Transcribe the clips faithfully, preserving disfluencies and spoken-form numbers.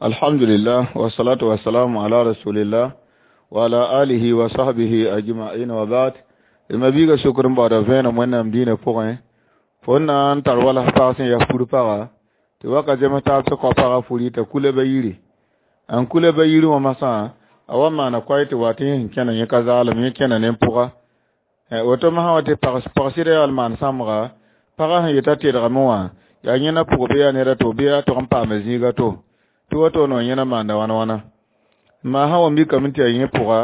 Alhamdulillah wa salatu wa salamu ala rasulillah wa ala alihi wa sahbihi ajma'in wa ba'd. D mabiiga sokr n baooda vẽenem wẽnnaam dĩinã pʋgẽ fo n na n tar wala pag sẽn yaa fur paga tɩ waka zems taab tɩ kao pagã furi t'a kula ba yiri n kula ba yiri wã masã a wa maana koay tɩ wa tɩ yẽ sẽn kẽna yẽ ka zaalem yẽ kẽna ne pʋga woto masã wa tɩ pag sɩda yaa maan sãmbga pagã sẽn yeta tedgame wã yaa yẽna pʋg bɩ yaa ned a to bɩ a tog n paama zĩiga to tɩ woto no yẽna maanda wãna wãna maa sã wa mikame tɩ yaa yẽ pʋga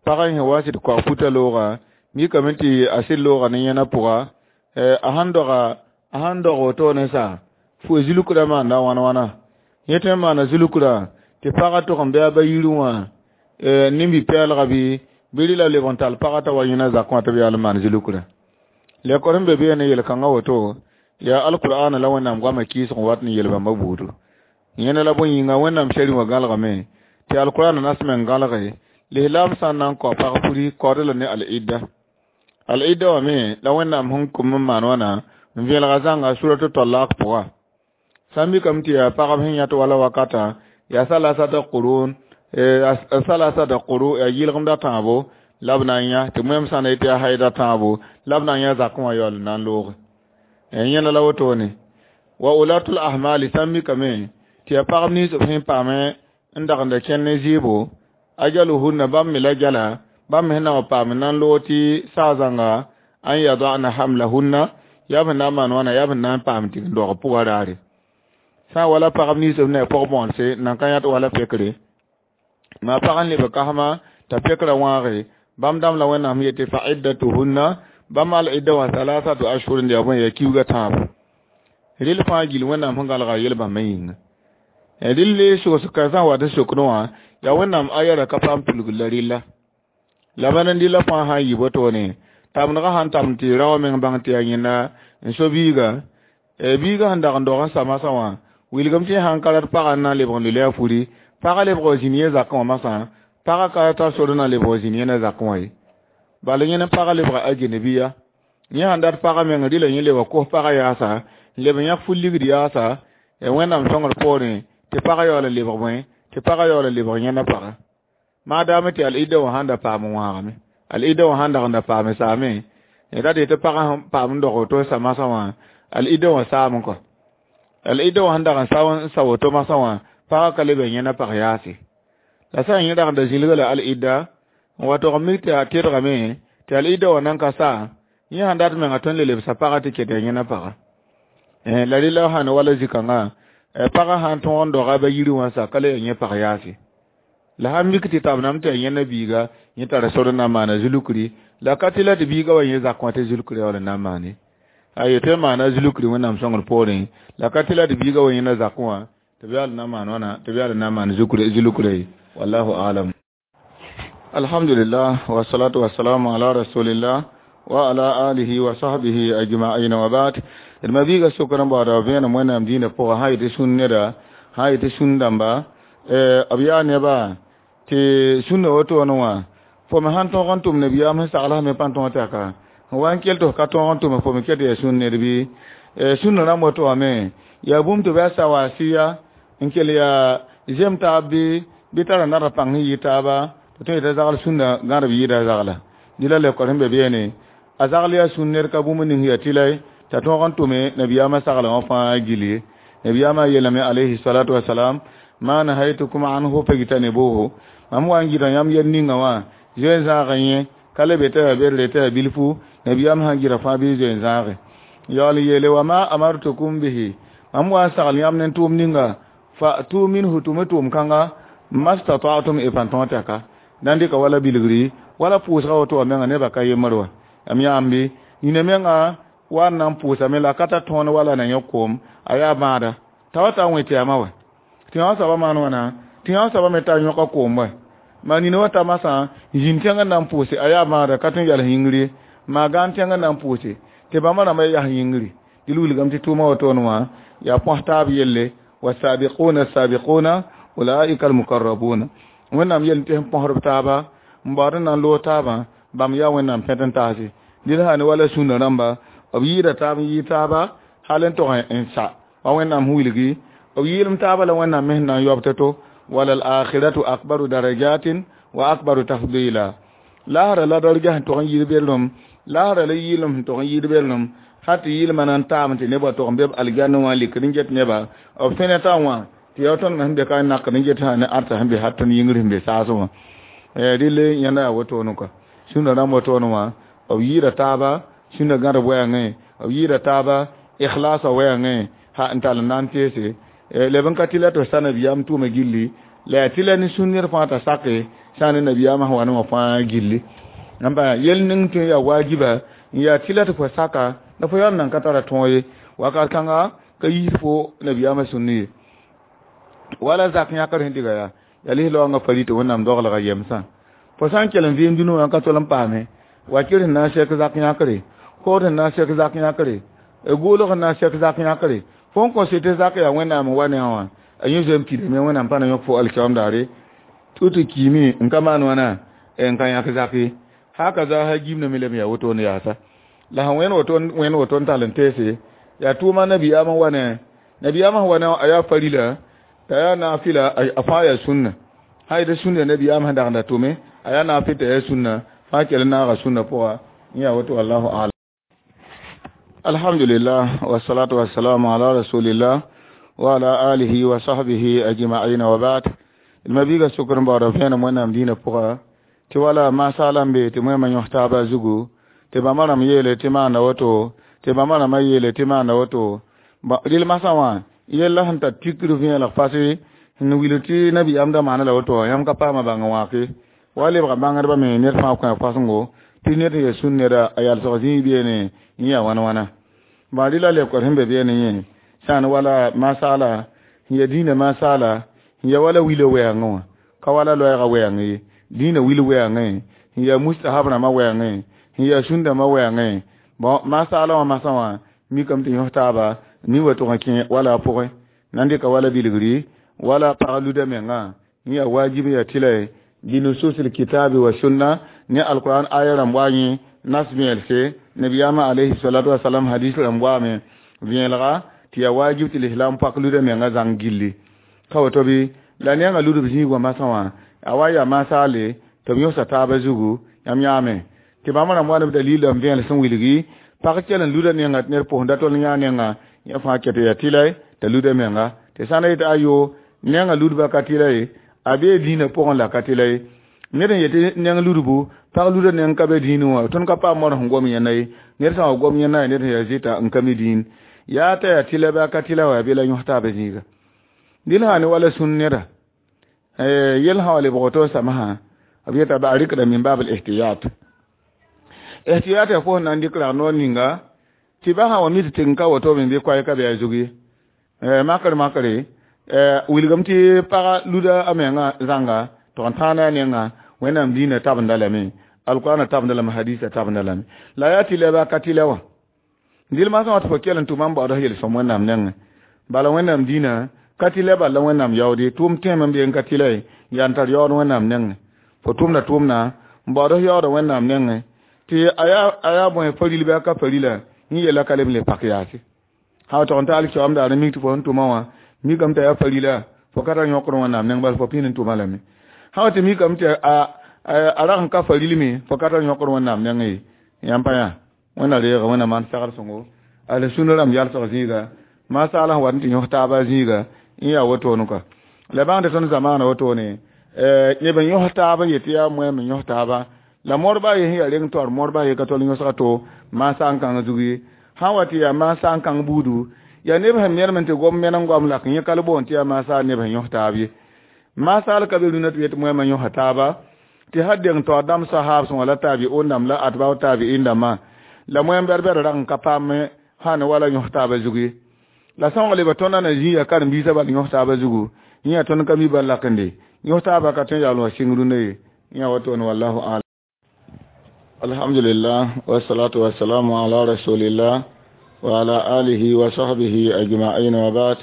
pagã sẽn wa sɩd koag futa looga mikame tɩ a sɩd looga ne yẽna pʋga a sãn doga a sãn dog woto ne sa fo zulkrã maanda wãna wãna yẽ tõe n maana zulkrã tɩ pagã tog n bɩ a ba yiri wã nimbi-pɛɛlga bɩ bɩ rɩla leb n tall pagã t'a wa yẽna zakẽ wã tɩ b yaa l maan zulkrã lekor sẽn be beene yel-kãngã woto yaa alqur'ana la wẽnnaam goamã kɩɩsg n wat n yel bãmba buudu yẽna la bõe yĩnga wẽnnaam shari wã gãlgame tɩ alqur'ana nasme n gãlge lislaam sã n na n kao pag furi kaood la ne al-idda al-idda wã me la wẽnnaam sẽn kʋm n maan wãna n vẽelga zãnga suratu talaq pʋga sã n mikame tɩ yaa pagb sẽn yãt wala wakata yaa salasata qurun salasata quru yaa yɩlgemda tãabo la b na n yã tɩ moem sã n yetɩ yaa haida tãabo la b na n yã zakẽ wã yaool n na n looge yẽna la wotone wa ulatul ahmali sã n mikame tɩ yaa pagb nins b sẽn paame n dagenda kẽnd ne zɩɩbo ajaluhunna bãmb me la jala bãmb me sẽn na wa paam n na n loog tɩ saa zãnga an yadana hamlahunna yaa b sẽn na n maan wãna yaa b sẽn na n paam tɩ n dog pʋgã raare sã n wala pagb nins b ne pɔg-bõonse nan ka yãt wala pekre maa pag n leb kasma t'a pekrã wãage bãmb dãmb la wẽnnaam sẽn yetɩ fa iddatuhunna bãmb al-idda wã salasatu ashhurin yaa bõe yaa kiuga tãabo rɩl fãa gill wẽnnaam sẽn gãlga yel bãmbã yĩnga rɩl sogs ka sã n wat n sokd wã yaa wẽnnaam ayara ka paam tulgr la rɩlla la bãn n rɩla fãa sã n yɩ wotone tamdgã sãn tamd tɩ rao meng bãng tɩ yaa yẽnda n so biiga biiga sẽn dag n dog n sa masã wã wilgem tɩ sãn ka rat pagã n na n lebg n lʋla a furi pagã lebg wa zĩnd yẽ zakẽ wã masã pagã ka tar sor n na lebg wa zĩnd yẽna zakẽ wã ye bala yẽne pagã lebga agenebiya yẽ sãn dat pagã meng rɩla yẽ leba kos pagã yaasa n leb n yãk fur ligd yaasa wẽnnaam sõngr poorẽ tɩ pagã yaool n lebg bõe tɩ pagã yaool n lebg yẽna paga maadaame tɩ al-idda wã sãn da paam n wãagame al-idda wã sãn dag n da paame saame ra dee tɩ pagã sẽn paam n dog woto sa masã wã al-idda wã saam kɔ al-idda wã sẽn dag n sa n sa woto masã wã pagã ka leb n yẽna pag yaase la sã n yẽ dag n da zĩlga la al-idda n wa tog n mik tɩ a tedgame tɩ al-idda wã nan ka sa yẽ sãn dat menga tõnd le lebsa pagã tɩ ket yaa yẽna paga la rɩla sãn wala zĩ-kãngã pagã sãn tõog n doga ba yiri wã sa ka le yaa yẽ pag yaase la sãn mik tɩ tabname tɩ yaa yẽna biiga yẽ tara sor n na n maana zulukri la ka tɩ la tɩ biiga wa yẽ zakẽ wã tɩ zulukri yaool n na n maane a yetɩ maana zulukri wẽnnaam sõngr poorẽ la ka tɩ la tɩ biiga wa yẽna zakẽ wã tɩ b yaool n na maan wãna tɩ b yaool n na n maan zulukri wallahu alam alhamdulillah wasalatu wasalamu ala rasulillah wa ala alihi wa sahbihi ajma'in wa ba'd d mabiiga sokr n baooda vẽenem wẽnnaam dĩinã pʋgã sã yetɩ sũn neda sã yetɩ sũn dãmba b yaa nebã tɩ sũnna wotone wã fo me sãn tõog n tʋm nabiyaam sẽn sagl me pãn tõog tɩ aka n wa n kell tɩ f ka tõog n tʋme fo me ket yaa sũn ned bɩ sũnna rãmb woto wã me yaa bũmb tɩ b yaa sawasiya n kell yaa zem taab bɩ bɩ tara nadg pãng sẽn yɩ taaba tɩ tõe yetɩ zagl sũnna gãdb yɩɩda zagla dɩ la lekor sẽn be beene a zagl yaa sũn ned ka bũmb ning yaa tɩla t'a tõog n tʋme nabiyaamã saglã wã fãa gill ye nabiyaamã yeelame alayhi salatu wasalam ma nahaytukum anhu fajtanibuhu mam wa n gɩda yãmb yel ninga wã zoe n zãag yẽ ka le be tɩ yaa berre tɩ yaa bilfu nabiyaam sãn gɩda fãa bɩ zoe n zãage yaool n yeele wa ma amartukum bihi mam wa n sagl yãmb ne tʋʋm ninga fa'tu minhu tʋm tʋʋm kãnga mastata'tum y pãn tõog tɩ ka na n dɩka wala bilgri wala pʋʋsga woto wã menga nebã ka yembr wa m yãambe nina menga wa n na n pʋʋsame la ka ta tõon wala na yẽ koom a yaa bãada t'a wa ta n wẽ tɩyama wa tɩ yã soaba maan wãna tɩ yã soaba me ta yõka koom wa maa nina wa ta masã zĩnd tẽng n na n pʋʋse a yaa bãada ka tõe n yals yĩngr ye maa gãan tẽng n na n pʋʋse tɩ bãmba rãmbã yas yĩngri dɩ wilgame tɩ tʋʋmã wotone wã yaa põs taab yelle wasabiquna sabiquna ulaika almukarrabuna wẽnnaam yel tɩ sẽn põsdb taaba n baood n na n loog taabã bãmb yaa wẽnnaam pẽt n taase dɩl sã ne wala sũnna rãmba b yɩɩda taab n yɩɩ taaba hal n tog n sa wa wẽnnaam sẽn wilgi B yɩɩlem taabã la Wẽnnaam me sẽn na n yaob to-to. Wala al-akhiratu akbaru darajatin wa akbaru tafdila. Laasra la darja sẽn tog n yɩɩd belem, laasra la yɩɩlem sẽn tog n yɩɩd belem, hal tɩ yɩɩlmã na n taam tɩ nebã tog n be b aljanna wã likr n get neba b fẽnetã wã tɩ yaa tõnd me sẽn be ka n nakd n get sã ne arsa sẽn be hal tõnd yĩngr sẽn be saasẽ wã. Rɩle yẽnda yaa wotone kɔa. Sũnda rãmb wotone wã b yɩɩda taaba sũnda gãd wɛɛngẽ, b yɩɩda taaba ikhlasa wɛɛngẽ ha n tall n na n teese leb n ka tɩ la tɩ sa nabiyaam tʋʋma gilli la yaa tɩ la ne sũn ned fãa t'a sake sã ne nabiyaamã sẽn wa ne wã fãa gilli. N yel ning tõe n yaa waajiba n yaa tɩ la tɩ fo saka la fo yaool nan ka tara tõog ye wakat kãnga ka yiis fo nabiyaamã sũnn ye. Wala zak yãkr sẽn diga yaa yaa lis-laoongã fari tɩ Wẽnnaam doglga yemsã. Fo sã n kell n vɩɩm dũni wã n ka tol n paame wakir sẽn na n sɛk zak yãkre, kood sẽn na n sɛk zak yãkre, goolg sẽn na n sɛk zak yãkre, fo n kõ tɩ zak yaa Wẽnnaam n wa ne a wã a yẽ zoe n pidame Wẽnnaam pa na yõk fo alkiyoom daare tɩ tɩ kiime n ka maan wãna n ka yãk zak ye. Haka za ha gimna me lame yaa wotone yaasa. La sẽn wẽnd woto wẽnd woto n tall n teese yaa tʋʋma nabiyaamã wa ne nabiyaamã sẽn wa ne a yaa farila t'a yaa naafɩla a fãa yaa sũnna. Sã n yetɩ sũnna nabiyaamã sẽn dagenda tʋme a yaa naafɩl t'a yaa sũnna fãa kell n naaga sũnna pʋga n yaa woto wallahu alam. Alhamdulillah wassalatu wassalamu ala rasulillah wa ala alihi wa sahbihi ajma'in wa ba'd. Mabiga sukr n baood vẽenem Wẽnnaam dĩinã pʋga tɩ wala masaala n be tɩ moẽmã yõs taabã zugu tɩ bãmba rãmb yeele tɩ maanda woto tɩ bãmba rãmbã yeele tɩ maanda woto. Rɩl masã wã yella sẽn tar tikr vẽeleg fase n wilg tɩ nabiyaam da maana la woto yãmb ka paama bãng wãke wa lebga bãngdbã me ned fãa kõ a fasẽngo tɩ ned sẽn yaa sũn neda a yalsg zĩig beene n yaa wãn wãna. Bã rɩla lebkd sẽn be beene yẽ sã n wala masaala sẽn yaa dĩinã masaala sẽn yaa wala wila wɛɛngẽ wã ka wala loɛɛgã wɛɛngẽ ye dĩinã wil wɛɛngẽ sẽn yaa mustahab rãmbã wɛɛngẽ sẽn yaa sũndãmbã wɛɛngẽ. Bon masaala wã masã wã mikame tɩ yõs taaba nin wa tʋg n kẽ wala a pʋgẽ na n dɩka wala bilgri wala pag luda menga n yaa wajib yaa tɩla binusus alkitabi wa sunna ne alquran aya rãmb wa yẽ nas vẽelse nabiyaamã alayhi salatu wasalam hadis rãmb waame vẽelga tɩ yaa wajib tɩ lislam pak luda menga zãng gilli ka woto bɩ la nengã ludb zĩig wã masã wã a wa yaa masaale tɩ b yõsa taabã zugu yãmb yãame tɩ bãmb rãmb wa ne b dalila n vẽel sẽn wilgi pag kell n luda nenga tɩ ned pʋsẽnda tol n yã nenga yẽ fãa ket yaa tɩla t'a luda menga tɩ sã n yetɩ ayo nenga ludbã ka tɩla ye a bee dĩinã pʋgẽ la ka tɩla ye ned n yetɩ neng ludbu pag luda neng ka be dĩinẽ wã tõnd ka paam modg sẽn gom yẽnda ye ned sã n wa gom yẽnda ye ned sẽn yaa zɩta n ka mi dĩin yaa t'a yaa tɩla bɩ a ka tɩla wa yaa be la yõs taabã zĩiga. Dɩl sã ne wala sũn neda yel sã wa lebg woto n samsã b yeta ba a rɩkda min bab al-ihtiyat. Ihtiyat yaa fo sẽn na n dɩk rag noor ninga tɩ ba sã wa mi tɩ tɩng ka woto me bɩ koɛɛ ka be a zug ye. Makr makre wilgame tɩ paga luda a menga zãnga tɩg n tãana a nenga Wẽnnaam dĩinã tabenda lame alqur'ana tabenda lame hadisa tabenda lame la yaa tɩ la bɩ a ka tɩ la wã. Dɩl masã wã tɩ fo kell n tʋma n baood yel-sõm Wẽnnaam nengẽ bala Wẽnnaam dĩinã ka tɩ la bal la Wẽnnaam yaoode tʋʋm tẽem n be n ka tɩ la ye yaa n tar yaood Wẽnnaam nengẽ fo tʋmda tʋʋmda n baood yaooda Wẽnnaam nengẽ tɩ a yaa bõe faril bɩ a ka farila yẽ yella ka leb n le pak yaase. Sã wa tog n ta alkiyoom daar n mik tɩ fo sẽn tʋma wã mikame t'a yaa farila fo ka tar yõkd Wẽnnaam neng bala fo pĩnd n tʋma lame. Sã wa tɩ mikame tɩ a rag n ka farilme fo ka tar yõkd Wẽnnaam nengẽ ye yãmb pa yã Wẽnna reega Wẽnna maan sagr sõngo ala sũnã rãmb yalsg zĩiga masaala sẽn wat n tɩ yõs taabã zĩiga n yaa wotone kɔa. La bãngd tõnd zamaana wotone neb n yõs taab n yetɩ yaa moɛm n yõs taaba la modba ye sẽn yaa reng taoor modba ye ka tol yõsga to maasa n kãng zug ye sã n wa tɩ yaa maasa n kãng buudu yaa neb sẽn medem n tɩ gom meneng goam lak yẽ ka le boond tɩ yaa maasa neb sẽn yõs taab ye. Masaal ka be rũnã tɩ yetɩ moɛmã yõsa taaba tɩ sã deng taoor dãmb sahaab sẽn wã la taabiun dãmb la atbau taabiin dãmbã la moɛm bɛd-bɛd rag n ka paam sã ne wala yõs taabã zug ye. La sõng leba tõndã na zĩiga karen-biisã bal yõs taabã zugu yẽ yaa tõnd ka mi bal lakende yõs taabã ka tõe n yaool wã sɩng rũndã ye yã wotone wallahu alam. Alhamdulillah wassalatu wassalamu ala rasulillah wa ala alihi wa sahbihi ajma'in wa ba'd.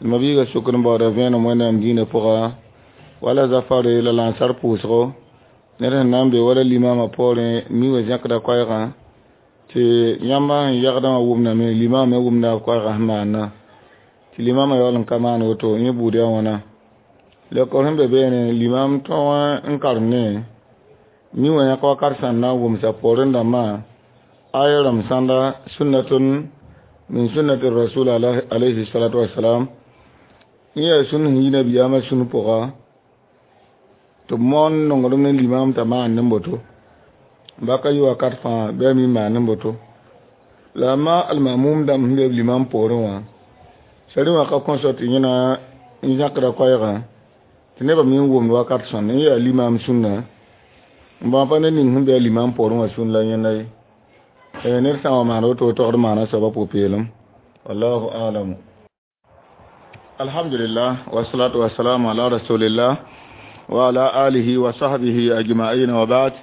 Mabiga sukr n baooda vẽenem Wẽnnaam dĩinã pʋga wala zafare la lansar pʋʋsgo ned sẽn na n be wala limamã poorẽ mi wã zẽkda koɛɛgã tɩ yãmba sẽn yagdã wã wʋmdame limam me wʋmda b koɛɛgã sẽn maanda tɩ Tɩ limamã yaool n ka maan woto yẽ buud yaa wãna leookr sẽn be beene limam tõog n karemdẽ mi wã yãk wakat sãn na n wʋmsa poorẽ dãmbã aya rãmb sãnda sunnatun min sunnati rasul alayhi salatu wasalam yẽ yaa sũn sẽn yi nabiyaamã sũn pʋga tɩ b moon nonglem ne limam t'a maan ne boto ba ka yɩ wakat fãa bɩ a mi maan ne boto la a ma almamum dãmb sẽn be b limam poorẽ wã sari wã ka kõsɔ tɩ yẽna n zãkda koɛɛgã tɩ nebã me n wʋmd wakat sõnd n yaa limam sũnna n bãmb pa ned ning sẽn be a limam poorẽ wã sũn la yẽnda ye ned sã n wa maan woto togd maana soaba pʋ-peelem wallahu alamu alhamdulillah wasalatu wasalamu ala rasulillah wa ala alihi wa sahbihi ajma'in wa ba'd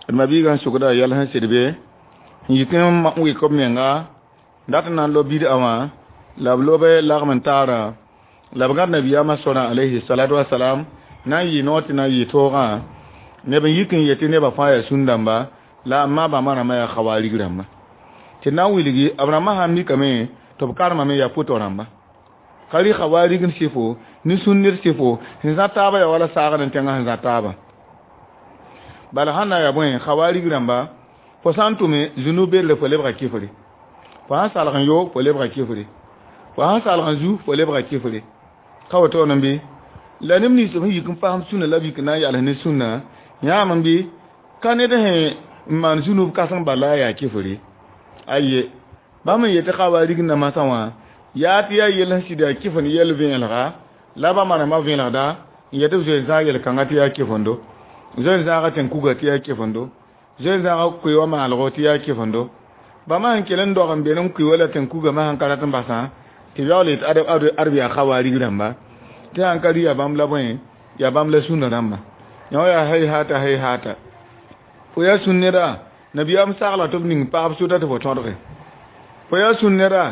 d mabiigã n sʋgda yɛl sẽn sɩd be n yik n wɩk b menga dat n na n lob bid'a wã la b lobe lagm n taara la b gãd nabiyaamã sorã alayhi salatu wasalam na n yɩ noor tɩ na n yɩ toogã neb n yik n yetɩ nebã fãa yaa sũn-dãmba la a ma bãmba rãmbã yaa khawarig rãmba tɩ na n wilgi b rãmbã sã n mikame tɩ b karemame yaa pʋtɔ rãmba ka rɩ khawarig n sɩfo ne sũn-ned sɩfo sẽn zã taaba yaa wala saagd n tẽngã sẽn zã taaba bala sãn na n yaa bõe khawarig rãmba fo sã n tʋme zũnub bedre fo lebga kifre fo sãn salg n yo fo lebga kifre fo sãn salg n zu fo lebga kifre ka woto n bɩ la neb nins b sẽn yik n pasem sũnna la b yik n na n yals ne sũnna yãam n bɩ ka ned sẽn n maan zũnub kãseng bala a yaa kifre aye bãmb n yetɩ khawarig namasã wã yaa tɩ yaa yell sẽn sɩd yaa kifend yɛl vẽelga la bãmba rãmbã vẽelgda n yetɩ b zoe zãag yel-kãngã tɩ yaa kifendo zoe zãaga tẽn-kuga tɩ yaa kifendo zoe zãaga koe wã maalgo tɩ yaa kifendo bãmba sẽn kell n dog n be n koe wala tẽn-kugã sẽn ka rat n basã tɩ yaool yetɩ ad yaa khawarig rãmba tɩ sãn ka rɩ yaa bãmb la bõe yaa bãmb la sũnna rãmba yã yaa hay-hata hay-hata fo yaa sũn neda nabiyaam sagla tɩ b ning pagb sʋta tɩ fo tõdge fo yaa sũn neda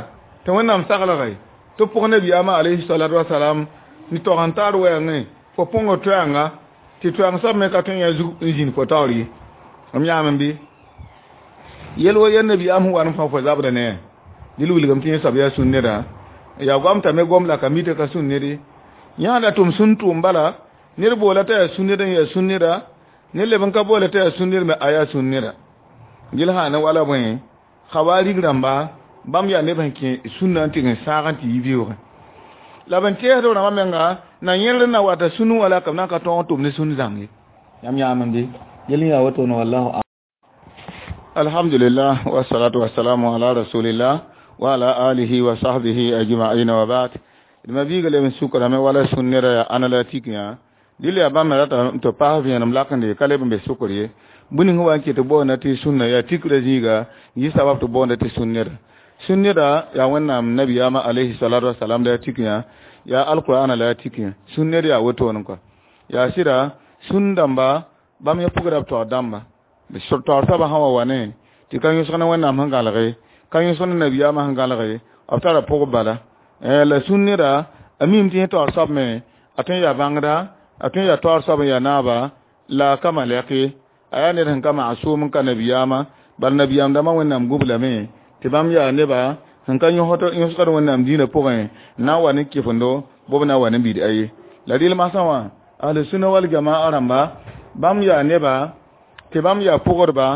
tɩ wẽnnaam saglge tɩ pʋg nabiyaamã alayhi salatu wasalam n tog n taar wɛɛngẽ fo põngr toɛɛnga tɩ toɛɛng soab me ka tõe n yã zug n zĩnd fo taoor ye m yãam n bɩ yel wa yaa nabiyaam sẽn wa n fã fo zabda ne dɩl wilgame tɩ yẽ soab yaa sũn neda yaa goam t'a me gom la ka mi tɩ ka sũn ned ye yãada tʋm sũn tʋʋm bala ned boola t'a yaa sũn ned n yaa sũn neda ned leb n ka boola t'a yaa sũn ned me a yaa sũn neda gil sã ne wala bõe khawarig rãmba bãmb yaa neb sẽn kẽ sũnna n tɩg n sãag n tɩ yi beoogẽ la b n teesd b rãmbã menga na yẽld n na wata sũnu wã la ka b na n ka tõog n tʋm ne sũn zãng ye yãmb yãam n bɩ yel yaa wotone wallahu alhamdulillah wasalatu wasalamu ala rasulillah wa ala alihi wa sahbihi ajma'in wa ba'd d mabiiga leb n sukrame wala sũn neda yaa ãna la tik yã dɩl yaa bãmb me rata tɩ paas vẽenem lakende ka leb n be sukr ye bũmb ning wa n ket boonda tɩ sũnna yaa tikrã zĩiga yɩ sabab tɩ boonda tɩ sũn neda sũn neda yaa wẽnnaam nabiyaamã alayhi salatu wasalam la yaa tik yã yaa alqur'ana la yaa tik yã sũn ned yaa wotone kɔa yaa sɩda sũn dãmba bãmb yẽ pʋgda b taoor dãmba taoor soabã sã wa wa ne tɩ ka yõsg ne wẽnnaam sẽn gãlge ka yõsg ne nabiyaamã sẽn gãlge b tara pʋg bala la sũn neda a mim tɩ yẽ taoor soab me a tõe n yaa bãngda a tõe n yaa taoor soab n yaa naaba la ka malɛk ye a yaa ned sẽn ka maasʋʋm n ka nabiyaamã bala nabiyaam dãmbã wẽnnaam gub lame tɩ bãmb yaa neba sẽn ka yõsgd wẽnnaam dĩinã pʋgẽ n na n wa ne kɩfendo bʋb na n wa ne bid'a ye la rɩl masã wã ahlu-sunna wal jamaa rãmba bãmb yaa neba tɩ bãmb yaa pʋgdba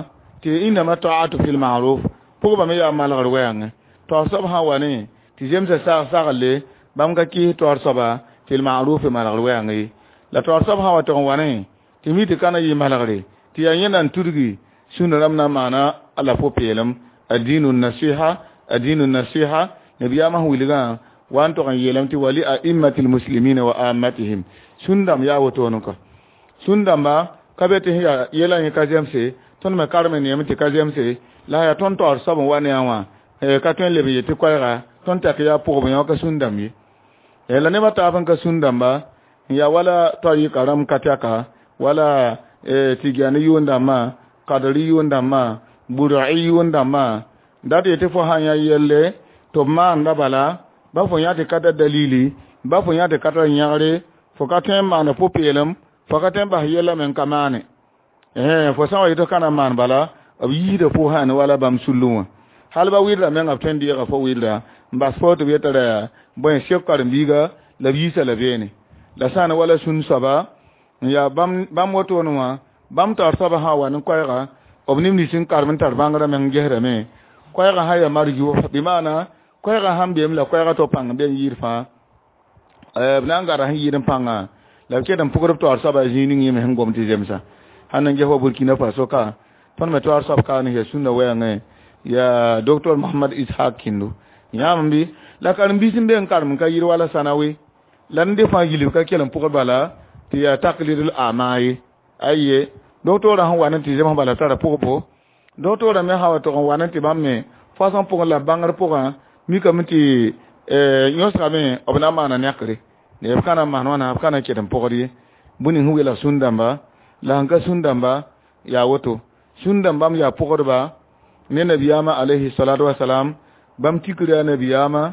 tɩ innama ta'atu fil ma'ruf pʋgba me yaa malgr wɛɛngẽ taoor soab sã n wa ne tɩ zemsa sag saglle bãmb ka kɩs taoor soaba fil ma'ruf malgr wɛɛng ye la taoor soab sã n wa tɩg n wa ne tɩ mi tɩ ka na yɩ malgre tɩ yaa yẽnda n tudgi sũnna rãmb na n maana la pʋ-peelem addinu nasiha addinu nasiha nabiyaamã sẽn wilgã wa n tog n yeelame tɩ wali a'immati lmuslimina wa ammatihim sũn-dãmb yaa wotone kɔ sũn-dãmba ka be tɩ sẽn yaa yɛlã yẽ ka zemse tõnd me karem neeme tɩ ka zemse la yaa tõnd taoor soab n wa ne a wã ka tõe n leb n yet tɩ koɛɛga tõnd tak yaa pʋgb yã ka sũn-dãmb ye la nebã taab n ka sũn-dãmba n yaa wala taoor yɩka rãmb ka tɛka wala tɩgani yʋʋn-dãmbã kadri yʋʋn-dãmbã bur'i yʋʋn-dãmbã dat yetɩ fo sã n yã yelle tɩ b maanda bala ba fo yã tɩ ka ta dalili ba fo yã tɩ ka tar yãgre fo ka tõe n maana pʋ-peelem fo ka tõe n bas yɛla me n ka maane fo sã n wa yetɩ ka na n maan bala b yiisda fo sã ne wala bãmb sullẽ wã hal ba wɩlda menga b tõe n deega fo wɩlda n bas fo tɩ b yeta ra yaa bõe sek karen-biiga la b yiisa la beene la sã n wala sũn soaba n yaa bãmb wotone wã bãmb taoor soaba sã n wa ne koɛɛga b neb nins n karem n tar bãngrã meng gesdame koɛɛgã sã yaa marjʋ bɩ maana koɛɛgã sãn beem la koɛɛgã to pãng n be n yɩɩd fãa b na n gada sẽn yɩɩd n pãngã la b ket n pʋgd b taoor soaba zĩig ning yẽ me sẽn gom tɩ zemsa sãn n ges wa Burkina Faso ka tõnd me taoor soab ka ne yaa sũnna wɛɛngẽ yaa docteur Mohamad Ishaq Kindo yãam bɩ la karen-biis n be n karem n ka yɩɩd wala sãnawe la n de fãa gilf ka kell n pʋgd bala tɩ yaa taklidl ama ye aye docteur sẽn wa ne tɩ zems bala tara pʋgbo docteur me sã wa tog n wa ne tɩ bãmb me fasõ pʋgẽ la bãngr pʋgã mikame tɩ yõsgame b na n maana nɛkre b ka na n maan wãna b ka na n ket n pʋgd ye bũmb ning sẽn weelg sũn-dãmba la sẽn ka sũn-dãmba yaa woto sũn-dãmbam yaa pʋgdba ne nabiyaamã alayhi salatu wasalam bãmb tikr yaa nabiyaamã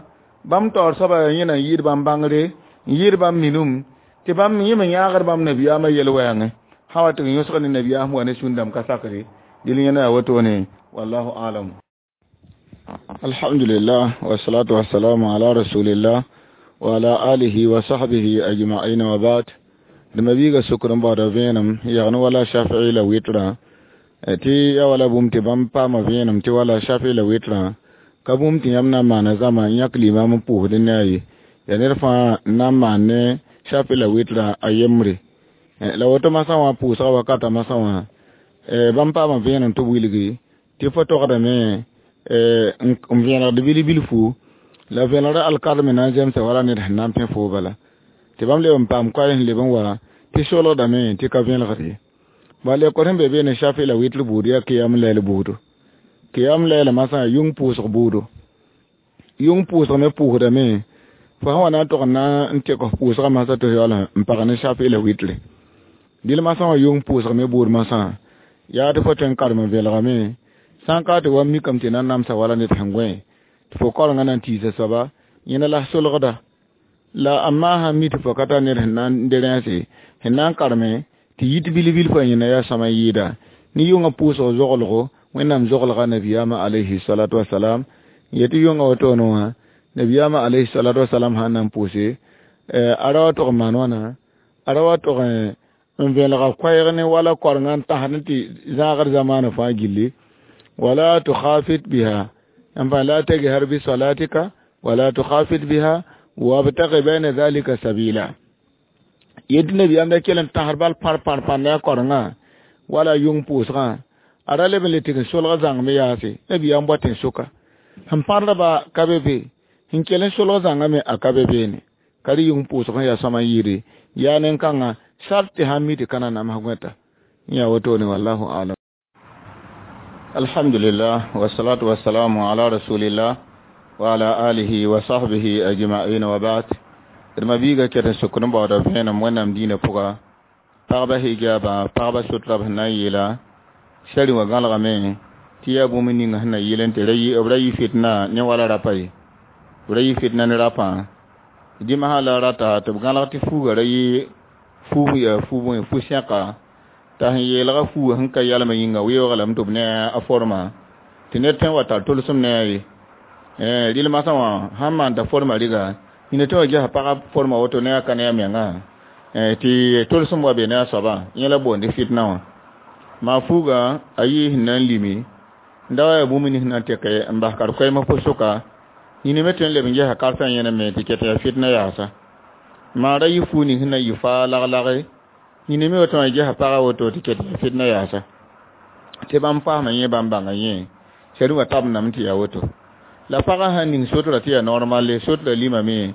bãmb taoor soaba yaa yẽna n yɩɩd bãmb bãngre n yɩɩd bãmb minum tɩ bãmb yẽ me yãagd bãmb nabiyaamã yel-wɛɛngẽ sã wa tɩ n yõsg ne nabiyaam wa ne sũn-dãmb ka sakre dɩl yẽna yaa wotone wallahu alam. Alhamdulillah wassalatu wassalamu ala rasulillah wa ala alihi wa sahbihi ajma'in wa ba'd. Dẽma biiga sokr n baooda vẽenem yagn wala shafi'i la wɩtrã tɩ ya wala bũmb tɩ bãmb paama vẽenem tɩ wala shafi'i la wɩtrã ka bũmb tɩ yãmb na n maana zãma n yãk limam n pʋʋsd ne a ye yaa ned fãa n na n maan ne shafi'i la wɩtrã a yembre la woto masã wã pʋʋsga wakata masã wã bãmb paama vẽenem tɩ b wilgi tɩ fo togdame n vẽenegd bil-bilfu la vẽenegdã alkard me na n zemsa wala ned sẽn na n pẽ foo bala tɩ bãmb leb n paam koɛɛ sẽn leb n wa tɩ solgdame tɩ ka vẽelgd ye bala lekor sẽn be beene shafi la wɩtr buud yaa kiyam lɛɛl buudo kiyam lɛɛl masã yʋng pʋʋsg buudo yʋng pʋʋsg me pʋʋsdame fo sã wa na n tog n na n tek f pʋʋsgã masã tɩ yaool n pag ne shafi la wɩtre dɩl masã wã yʋng pʋʋsg me buud masã yaa tɩ fo tõe n karem n vẽelgame sã n ka tɩ wa mikame tɩ na n namsa wala ned sẽn gõe tɩ fo kaorengã na n tiisa soaba yẽna la solgda la amma sãn mi tɩ fo ka tar ned sẽn na n de rẽese sẽn na n kareme tɩ yit bil-bil fo yẽna yaa sõma n yɩɩda ne yʋngã pʋʋsg zoglgo wẽnnaam zoglga nabiyaamã alayhi salatu wasalam yetɩ yʋngã wotone wã nabiyaamã alayhi salatu wasalam sãn na n pʋʋse a ra wa tog n maan wãna a ra wa tog n vẽelga koɛɛg ne wala korengã n tãsd tɩ zãagd zamaanã fãa gilli wala tukhafit biha enfin la tajhar bi salatika wala tukhafit biha wabtaghi bayna dhalika sabila yetɩ nabiyaam da kell n tãsd bal pãr pãr pãr ne a korengã wala yʋng pʋʋsgã a ra leb n le tɩg n solg zãng me yaase nabiyaam bɔ tẽn-soka sẽn pãrdba ka be be sẽn kell n solg zãngã me a ka be beene ka rɩ yʋng pʋʋsg n yaa sõma n yɩɩde yaa nen-kãngã sart tɩ sãn mi tɩ ka na nams gõeta n yaa wotone wallahu alam. Alhamdulillah wassalatu wassalamu ala rasulillah wa ala alihi wa sahbihi ajma'in wa ba'd. D ma biiga ket n sokd n baooda vẽenem wẽnnaam dĩinã pʋga pagba hijaba pagba sotra b sẽn na n yeela sari wã gãlgame tɩ yaa bũmb ninga sẽn na yɩl n tɩ b ra yɩ fitna ne wala rapa ye b ra yɩ fitna ne rapã dĩmsã la rata tɩ b gãlg tɩ fuuga ra yɩ fuug yaa fu fu-sẽka t'a sẽn yeelga fuuga sẽn ka yalmã yĩnga weoog lame tɩ b ne a forma tɩ ned tõe n wa tar tolsem ne a ye rɩl masã wã sãn maan t'a forma rɩga yĩna tõe wa gesa pagã forma woto ne a ka ne a menga tɩ tolsem wa be ne a soabã yẽ la boonde fitna wã maa fuuga a yɩɩ sẽn na n limi n da wa yaa bũmb nins na n tɩke n bas kar koɛɛmã pʋs-sʋka yĩna me tõe n leb n gesa karsã yẽne me tɩ ket yaa fitna yaasa maa ra yɩ fuug ning sẽn na n yɩ faa lag-lage yĩna me woto wã gesa pagã woto tɩ ket yaa fitna yaasa tɩ bãmb paasmã yẽ bãmb bãnga yẽ sɛd wã tabendame tɩ yaa woto la pagã sãn ning sotra tɩ yaa normale sotra limame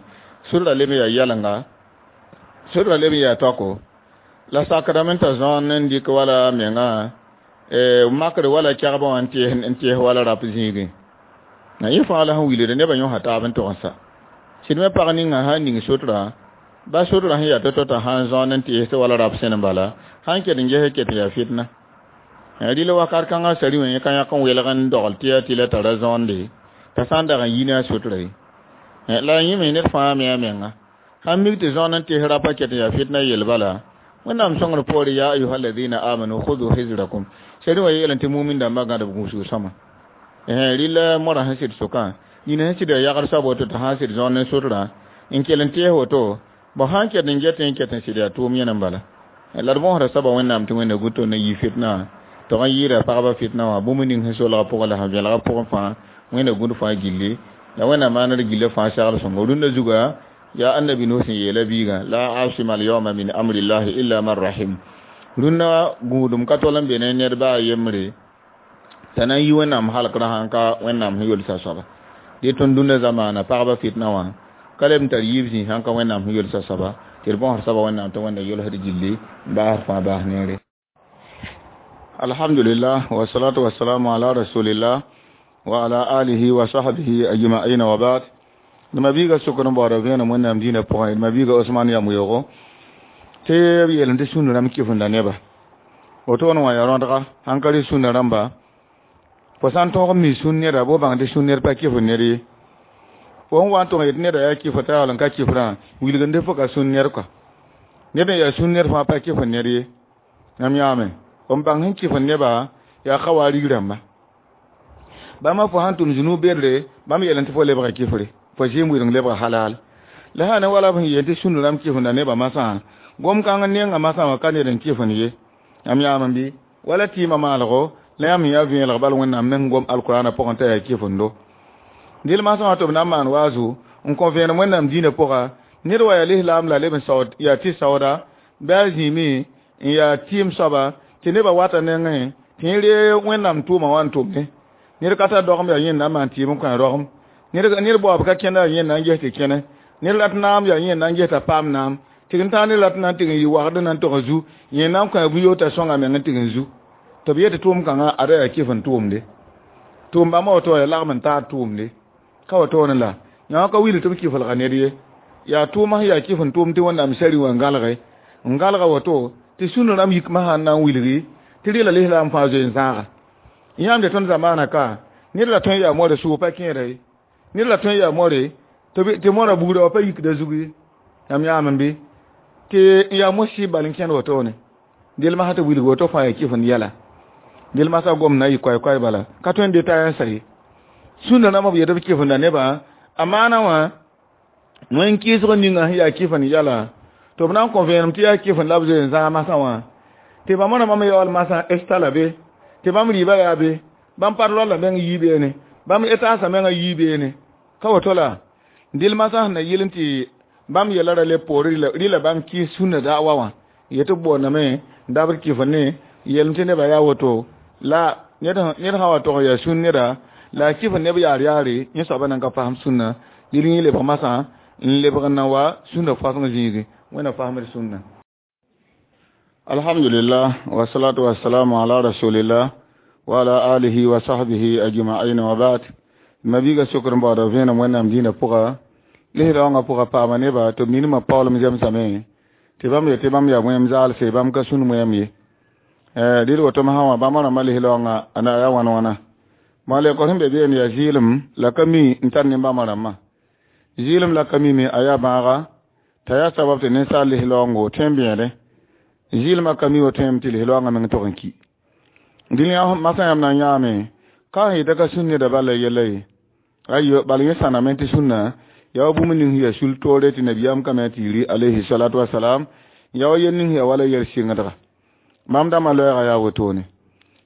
sotra leb n yaa yɛlenga sotra leb n yaa taoko la sakdame t'a zãon n dɩk wala menga makr wala kɛgbã wã n tɩs wala rap zĩigẽ na yẽ fãa la sẽn wilgd nebã yõsa taab n tog n sa sɩd me pag ninga sãn ning sotra ba sotra sẽn yaa to-to t'a sãn zãon n tɩs tɩ wala rap sẽn n bala sãn ket n ges ket n yaa fitna rɩl wakat kãngã sari wã yẽ ka yãk n welg n dogl tɩ yaa tɩ la tara zãonde t'a sã n dag n yi ne a sotra ye la yẽ me ned fãa me a menga sãn mik tɩ zãon n tɩs rapa ket n yaa fitna yel bala wẽnnaam sõngr poore yaa ayuha alladina amanu khudu hizrakum sari wã yeelẽ tɩ mumin dãmbã gãd b gũusg sõma rɩla moarã sẽn sɩd sʋkã Yĩn sẽn sɩd yaa yagd soab woto t'a sãn sɩd zõor ne sotrã n kell n tees woto bõ sãn ket n get n ket n sɩd yaa tʋʋm yẽne n bala la d bõosda soaba Wẽnnaam tɩ Wẽnda gu tõnd n yi fitna tɩ n yɩɩda pagba fitna wã bũmb ning sẽn solga pʋgẽ la sẽn vẽlga pʋgẽ fãa Wẽnda gũud fãa gilli la Wẽnnaam maand gillã fãa segl sõngo rũndã zuga yaa annabi Nuh sẽn yeela biigã la asima alyawma min amrillahi illa man rahim rũndã gũudum ka tol n be ne ned baa yembre t'a na n yi Wẽnnaam halkrã sãn ka Wẽnnaam sẽn yolsa soaba dẽ tõnd dũnna zamaana pagba fitna wã ka leb n tar yiib zĩig sãn ka Wẽnnaam sẽn yolsa soaba tɩ d bõosd soaba Wẽnnaam tɩ Wẽnda yolsd gilli n baasd fãa baas neere. Alhamdulillah wassalatu wassalamu ala rasulillah wa ala alihi wa sahbihi ajma'in wa ba'd. D mabiiga sokr n baooda vẽenem Wẽnnaam dĩinã pʋgẽ d mabiiga Osman yam-weoogo tɩ b yeelem tɩ sũnda rãmb kɩfenda neba wotoone wã yaa rõdga sãn ka rɩ sũnda rãmba fo sã n tõog n mi sũn neda bɩ bãng tɩ sũn ned pa kɩf ned ye fo sẽn wa n tʋg n yet neda yaa kɩf t'a yaool n ka kɩfrã wilgende fo ka sũn ned kɔa ned n yaa sũn ned fãa pa kɩf ned ye yãmb yãame n bãng sẽn kɩf neba yaa ka wa rig rãmba bãmba fo sãn tʋm zũnug bedre bãmb yeelẽ tɩ fo lebga kɩfre fo zɩɩm wɩdeng lebga halal la sã ne wala b sẽn yeel tɩ sũnd rãmb kɩfenda nebã masã gom-kãng nenga masã wã ka ned n kɩfend ye yãmb yãame bɩ wala tɩɩmã maalgo la yãmb yaa vẽelg bal Wẽnnaam meng gom alkurana pʋgẽ t'a yaa kɩfendo dɩl masã wã tɩ b na n maan waazu n kõ vẽenem Wẽnnaam dĩinã pʋga ned wa yaa lislaam la leb n saood yaa tɩ saooda bɩ a zĩime n yaa tɩɩm soaba tɩ nebã wata nengẽ tɩ yẽ ree Wẽnnaam tʋʋmã wã n tʋmne ned ka tar dogem yaa yẽnda n maan tɩɩm n kõ a rogem ned baoob ka kẽnda yaa yẽnda n ges tɩ kẽne ned rat naam yaa yẽnda n ges t'a paam naam tɩg n tãag ned rat na n tɩg n yɩ wagd na n tog n zu yẽnda n kõ a bũ-yoog t'a sõnga meng n tɩg n zu tɩ b yet tɩ tʋʋm kãngã ada yaa kɩf n tʋʋmde tʋʋm bãmba woto yaa lagm n taar tʋʋmde ka wotone la yã ka wilg tɩ b kɩfelga ned ye yaa tʋʋmã sẽn yaa kɩf n tʋʋm tɩ Wẽnnaam sari wã n gãlge n gãlga woto tɩ sũnd rãmb yikmã sãn na n wilgi tɩ rɩla lislaam fãa zoe n zãaga yãmb tɩ tõnd zamaana ka ned la tõe n yaa moare sʋʋg pa kẽeda ye ned la tõe n yaa moare tɩ moarã bugrã wa pa yikda zug ye yãmb yãame bɩ tɩ n yaa mos-sɩɩb bal n kẽnd wotone del masã tɩ wilg woto fãa yaa kɩf n yɛla del masã gom na yɩ koɛɛ-koɛɛ bala ka tõe n deta n sa ye sũnda rãmb b yet b kɩfenda nebã a maana wã wẽn kɩɩsg ninga sẽn yaa kɩf n yɛla tɩ b na n kõ vẽenem tɩ yaa kɩf n la b zoe n zãag masã wã tɩ bãmb rãmbã me yaool masã esta la be tɩ bãmb rɩɩbã yaa be bãmb parlɔlla meng yii beene bãmb etaasã mengã yii beene ka woto la dɩl masã sẽn na yɩl n tɩ bãmb yɛla ra le poore rɩla bãmb kɩɩs sũnda da'wa wã yetɩ b boondame n dabd kɩf ne yeelem tɩ nebã yaa woto la ned sã wa tog n yaa sũn neda la a kɩf neb yaar yaare yẽ soabã nan ka fasem sũnna dɩl yẽ lebg masã n lebg n na wa sũnda faseng zĩigi Wẽnna fasmd sũnna. Alhamdulillah wassalatu wassalamu ala rasulillah wa ala alihi wa sahbihi ajma'in wa ba'd. Mabiiga sokr n baooda vẽenem Wẽnnaam dĩinã pʋga lislaoongã pʋga paama neba tɩ b ninimã paoolem zemsame tɩ bãmb yetɩ bãmb yaa wẽem zaalse bãmb ka sũn wẽem ye dɩd woto masã wã bãmb rãmbã lislaoongã a na yaa wãn wãna malɛkɔ sẽn be beene yaa zɩɩlem la ka mi n tar ne-bãmba rãmbã zɩɩlem la ka mime a yaa bãaga t'a yaa sabab tɩ ninsaal lislaoongo tõe n bẽede zɩɩlmã ka mi woto yẽm tɩ lislaoongã meng tog n ki dĩn yã masã yãmb na n yãame ka sẽn yeta ka sũn neda bala yɛla ye ayo bal yẽ sãname tɩ sũnna yaa wa bũmb ning sẽn yaa sul toore tɩ nabiyaam kame tɩ yiri alayhi salatu wasalam yaa wa yel ning sẽn yaa wala yɛl sɩngdga bãmb dãmbã loɛɛga yaa wotone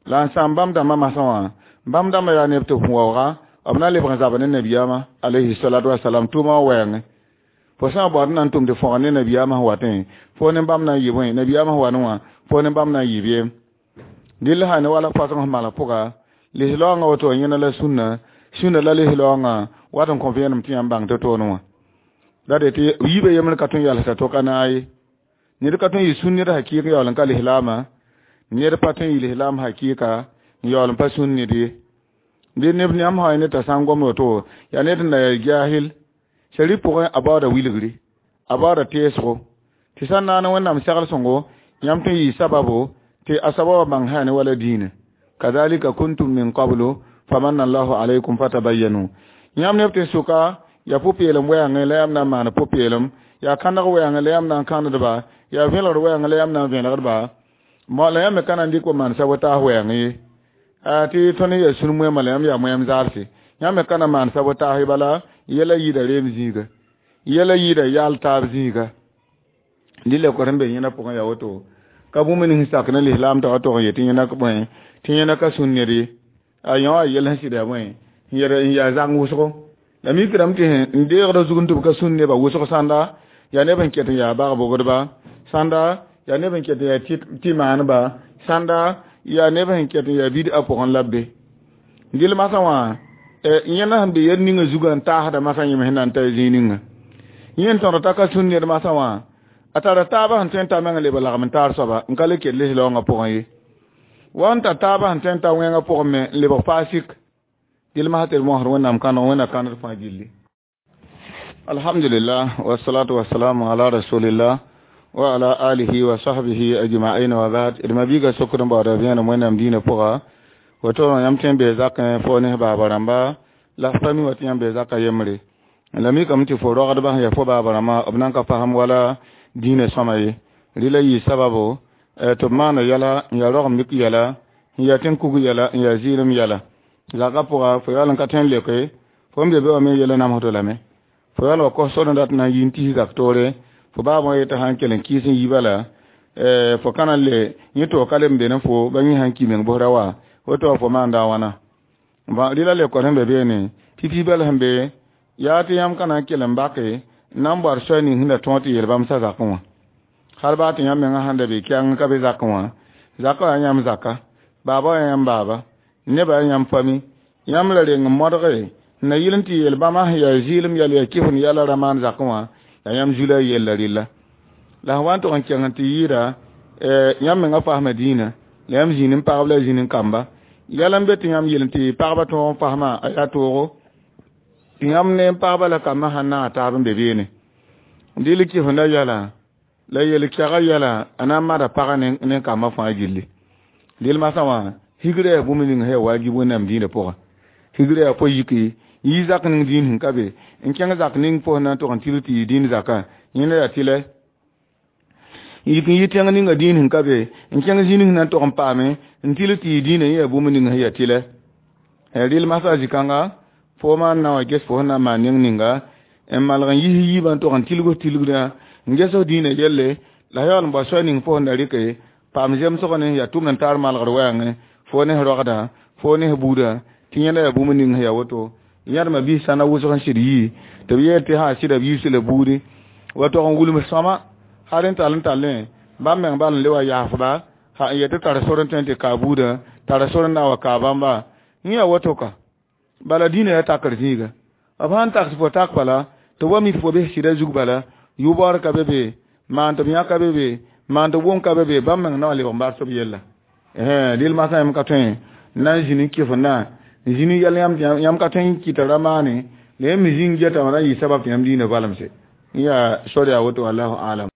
la n sãam bãmb dãmbã masã wã bãmb dãmbã yaa neb tɩ b waooga b na lebg n zab ne nabiyaamã alayhi salatu wasalam tʋʋmã wã wɛɛngẽ fo sã n baood n na n tʋm tɩ fõgd ne nabiyaamã sẽn watẽ fo ne bãmb na n yɩ bõe nabiyaamã sẽn wa ne wã fo ne bãmb na n yɩ beem dɩl sã ne wala fasg sẽn malg pʋga lislaoongã woto yẽna la sũnna sũnda la lislaoongã wat n kõ vẽenem tɩ yãmb bãng tɩ toone wã la de tɩ yiibã yembr ka tõe n yalsda to-ka naag ye ned ka tõe n yɩ sũn ned hakɩɩk yaool n ka lislaamã ned pa tõe n yɩ lislaam hakɩɩka n yaool n pa sũn ned ye bɩ neb yãmb sã ned t'a sã n gom woto yaa ned n na yaa jaahil sari pʋgẽ a baooda wilgri a baooda teesgo tɩ sã n naan Wẽnnaam segl sõngo yãmb tõe n yɩ sababo tɩ a soaba wa bãng sã ne wala dĩinã kadhalika kuntum min qablu famanna allahu alaykum fatabayyanu yãmb neb tɩ sʋka yaa pʋ-peelem wɛɛngẽ la yãmb na n maan pʋ-peelem yaa kãneg wɛɛngẽ la yãmb na n kãndba yaa vẽlgd wɛɛngẽ la yãmb na n vẽlgdba la yãmb me ka na n dɩk wa maan sab taas wɛɛngẽ ye tɩ tõnd yaa sũn moɛɛmã la yãmb yaa moɛɛm zaalse Yãmb me ka na maan sabotaas bala yɛla yɩɩda reem zĩiga yɛla yɩɩda yaal taab zĩiga dɩ la sẽn be yẽna pʋgẽ yaa woto ka bũmb ning sak ne lislaam t'a wa tog n yet tɩ yẽna bõe tɩ yẽna ka sũn ned ye a yã wã yɛl sẽn sɩd yaa bõe n yaa zang wʋsgo la mikdame tɩ n deegda zug n tɩ b ka sũn nebã wʋsg sãnda yaa neb n ket n yaa bag-bogdba sãnda yaa neb n ket n yaa tɩ maaneba sãnda yaa neb sẽn ket n yaa bid-a pʋgẽ la b be dɩl masã wã yẽna sẽn be yel ninga zugã n taasda masã yẽm sẽn na n ta zĩig ninga yẽ n tõd t'a ka sũn ned masã wã a tara taabã sẽn tõe n ta meng n leb n lagem n taar soaba n ka le ket lislaoongã pʋgẽ ye wa n tar taabã sẽn tõe n ta wẽngã pʋgẽ me n lebg faasik dɩl masã tɩ d mosd Wẽnnaam kãneg Wẽnna kãnd fãa gilli alhamdulillah wassalatu wassalamu ala rasulillah wa ala alihi wa sahbihi ajma'in wa ba'd d mabiiga sokd n baooda vẽenem Wẽnnaam dĩinã pʋga woto yãmb tõe n bee zakẽ fo ne baaba rãmba la f pa mi wa tɩ yãmb bee zaka yembre la mikame tɩ fo rogdbã sẽn yaa fo baaba rãmbã b nan ka fasem wala dĩinã sõma ye rɩla yɩ sababo tɩ b maana yɛla n yaa rogem mik yɛla n yaa tẽn-kug yɛla n yaa zɩɩlem yɛla zaka pʋga fo yaool n ka tõe n leoke fo n be be wã me yɛla namsdo lame fo yaool wa kos sor n dat na n yi n tis zak toore fo baab wã yetɩ sã n kell n kɩɩs n yi bala fo ka na n le yẽ tɩ ka leb n be ne fo ba yẽ sãn ki meng bʋsra wa woto wa fo maanda a wãna rɩla le kos sẽn be beene pipi bal sẽn be yaa tɩ yãmb ka na n kell n bake n na n boad soay ning sẽn da tõog tɩ yeel bãmb sa zakẽ wã hal baa tɩ yãmb mengã sãn da be kɛng ka be zakẽ wã zakã yaa yãmb zaka baaba yaa yãmb baaba nebã yaa yãmb fami yãmb la reng n modge n na yɩl n tɩ yeel bãmba sẽn yaa zɩɩlem yɛl yaa kɩf n yɛla ra maan zakẽ wã yaa yãmb zu la a yella rɩlla la sẽn wa n tog n kẽng n tɩ yɩɩda yãmb mengã fasma dĩinã la yãmb zĩnd n pagb la zĩnd n kamba yɛl n be tɩ yãmb yel n tɩ pagba tõog n fasmã a yaa toogo tɩ yãmb ne n pagba la kambã sãn naag taab n be beene dɩl kɩfenda yɛla la yel-kɛga yɛla a na n mada pagã ne kambã fãa gilli dɩl masã wã higrã yaa bũmb ning sẽn yaa waajib Wẽnnaam dĩinã pʋgã higrã yaa fo yiki yi zak ning dĩin sẽn ka be n kẽng zak ning fo sẽn na n tog n til tɩ yɩ dĩin zakã yẽnda yaa tɩlɛ yik n yɩ tẽng ninga dĩin sẽn ka be n kẽng zĩnig sẽn na n tog n paame n til tɩ yɩ dĩinã yẽ yaa bũmb ning sẽn yaa tɩlɛ rɩl masã zĩ-kãnga fo maan na wa ges fo sẽn na n maan neng ninga n malg n yis yiibã n tog n tilg tilgdã n ges f dĩinã yelle la yaool n bao soay ning fo sẽn da rɩke paam zemsg ne yaa tʋmd n taar malgr wɛɛngẽ fo ne rogdã fo ne buudã tɩ yẽnda yaa bũmb ning sẽn yaa woto yãdmã biis sãna wʋsg n sɩd yii tɩ b yeel tɩ sã sɩda b yiis la buudi wa tog n wilms sõma hal n tall n tallẽ bãmb meng bal n le wa yaasba ha n yet tɩ tar sor n tõe n tɩ kaa buudã tara sor n na n wa kaa bãmba yẽ yaa woto ka bala dĩinã yaa takr zĩiga b sãn taks fo tak bala tɩ wa mi fo bes sɩda zug bala yʋ-baoor ka be be maan tɩ b yã ka be be maan tɩ b wʋm ka be be bãmb meng na wa lebg n bars b yella dɩl masã yãmb ka tõe n na n zĩnd n kɩfenda n zĩnd yɛl yãmb ka tõe n kɩta ra maane la yãmb me zĩng geta wã na n yɩ sabab tɩ yãmb dĩinã valemse n yaa sor yaa woto wallahu alam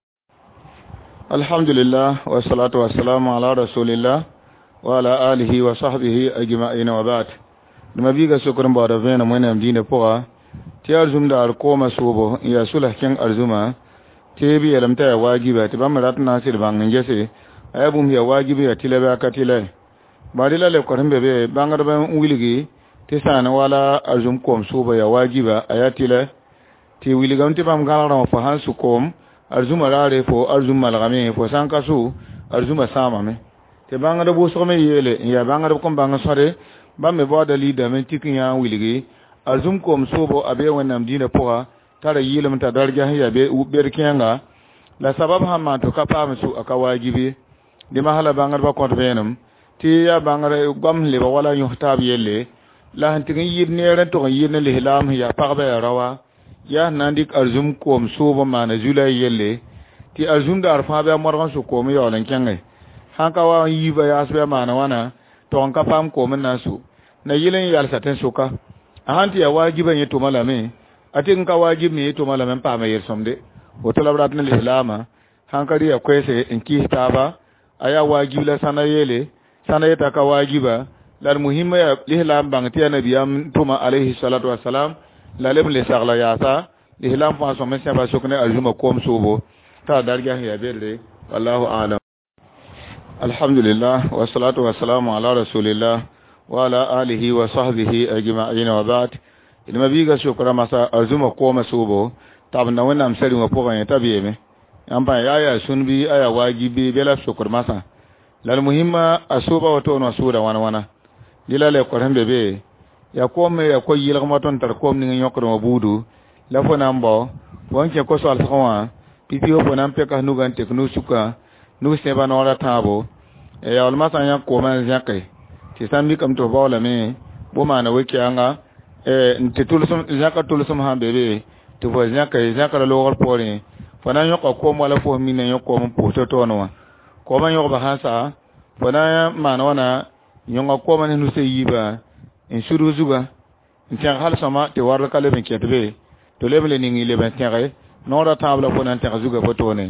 alhamdulillah wassalatu wassalamu ala rasulillah wa ala alihi wa sahbihi ajma'in wa ba'd d mabiiga sokd n baooda vẽenem Wẽnnaam dĩinã pʋga tɩ yaa arzũmda ar koomã soobo n yaa sulã kẽng arzũmã tɩ b yeelame t'a yaa waajiba tɩ bãmb rat n na n sɩd bãng n gese a yaa bũmb yaa waajib yaa tɩlɛ bɩ a ka tɩlɛ bari la lebk sẽn be be bãngdb n wilgi tɩ sã n wala arzũm koom soobo yaa waajiba a yaa tɩlɛ tɩ wilgame tɩ bãmb gãlegrã wã fo sãn su koom arzũmã raare fo arzũm malgame fo sã n ka su arzũmã sãamame tɩ bãngdb wʋsg me yeele n yaa bãngdb kõn bãng sõde bãmb me baooda liidame n tik n yã n wilgi arzũm koom soobo a bee Wẽnnaam dĩinã pʋga tara yɩɩlem t'a darja sẽn yaa bed kẽenga la sabab sãn maan tɩ ka paam su a ka waajib ye dẽ masã la bãngdbã kõt vẽenem tɩ yaa bãngr goam sẽn lebg wala yõs taab yelle la sẽn tɩg n yɩɩd neer n tog n yɩɩd ne lislaam sẽn yaa pagba yaa raoa yaa sẽn na n dɩk arzũm koom soob n maana zu-la yelle tɩ arzũm daar fãa bɩ a modg n sʋ koom n yaool n kẽnge sãn ka wa n yiibã yaas bɩ a maana wãna tog n ka paam koom n na n su na yɩl n yalsa tẽn-sʋka a sãn tɩ yaa waajiba yẽ tʋma lame a tɩg n ka waajib me yẽ tʋma lame n paama yel-sõmde woto la b rat ne lislaamã sãn ka rɩ yaa koɛɛse n kɩɩs taaba a yaa waajib la sãna yeele sãna yeta ka waajiba la d muhimma yaa lislaam bãng tɩ yaa nabiyaam tʋma alayhi salatu wasalam la leb n le sagla yaasa lislaam fãa sõm n sẽba sok ne arzũmã koom soobo t'a darga sẽn yaa bedre wallahu alam alhamdulillah wassalatu wassalamu ala rasulillah وعلى آله وصحبه أجمعين وبعد إنما بيغا شكرا مسا أزuma koma subo tab na wẽnnaam sɛrengã pʋgẽ t'a beeme yãmb pã yaa yaa sũn bɩ a yaa waajib bɩ bɩ la sokr masã la d muhimma a sooba woto wã sʋʋda wãn wãna dɩ la lekor sẽn be be yaa koom me yaa ko-yɩlgm wa tõnd tar koom ning n yõkd wã buudu la fo na n bao fo n kẽ ko-soalsgã wã pipi fo na n pɛka nugã n tek nug-sukã nug sẽba noor a tãabo yaool masã yãk koomã n zẽke tɩ sã n mikame tɩ f baoolame bõ maana we-kɛɛnga n tɩ tʋlsem zẽka tʋlsem sãn be be tɩ fo zẽke zẽkra loogr poorẽ fo na n yõka koom wala fo sẽn mina yõ koom n pʋʋs to-toone wã koomã yõgba sãn sa fo na n maan wãna yõnga koomã ne nusã yiibã n sudg zugã n tẽg hal sõma tɩ warl ka leb n kẽt be tɩ leb n le ning n leb n tẽge noor a tãab la fo na n tẽg zugã fo toone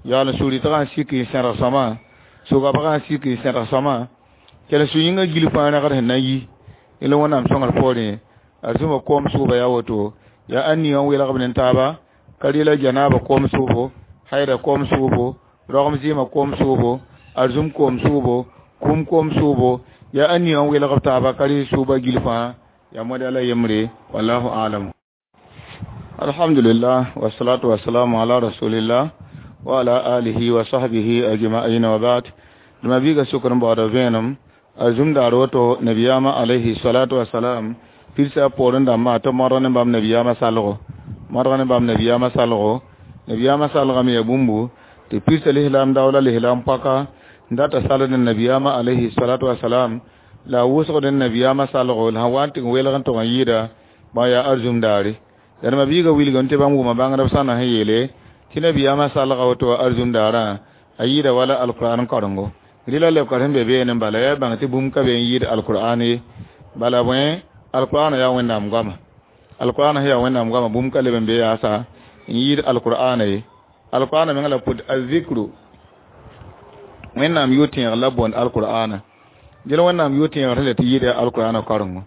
yaool n sugr-rɩtgã n sik n sẽdg sõma sʋgabgã n sik n sẽdg sõma kell su-yĩngã gil fãa rẽgd sẽn na n yi la wẽnnaam sõngr poorẽ a zũma koom sʋʋba yaa woto yaa ãn ning n welgb ne taaba ka rɩla janaaba koom sʋʋbo haida koom sʋʋbo rogem zɩɩmã koom sʋʋbo arzũm koom sʋʋbo kũm koom sʋʋbo yaa ãn ning n welgb taaba ka rɩ sʋʋba gil fãa yaa moda la yembre wallahu alam alhamdulillah wassalatu wassalamu ala rasulillah wa ala alihi wa sahbihi ajma'in wa ba'd dama biga sukr baoda vẽenem a zũm daar woto nabiyaamã alayhi salatu wasalam pirsã poorẽ dãmbã tɩ modg ne bãmb nabiyaamã salgo modg ne bãmb nabiyaamã salgo nabiyaamã salgame yaa bũmbu tɩ pirsa lislaam daoola lislaam paka n data salд nabiyaamã alayhi salatu wasalam la a wʋsgd n nabiyaamã salgo la sẽn wa n tɩ n welg n tog n yɩɩda bã yaa arzũm daare la d biiga wilgame tɩ bãmb wʋma bãngdb sãna sẽn yeele tɩ nabiyaamã salga woto arzũm daarã a yɩɩda wala alqur'an karengo rɩla lebka sẽn be beene bala yaa bãng tɩ bũmb ka be n yɩɩd alqur'an ye bala bõe alqur'an yaa wẽnnaam goama alqur'an yaa wẽnnaam goama bũmb ka leb n be yaasa n yɩɩd alqur'ana ye alqur'ana meng la pʋd azikru wẽnnaam yʋ-tẽeg la boond alqur'ana dẽl wẽnnaam yʋ-tẽegr sẽn le tɩ yɩɩda alqur'ana karengo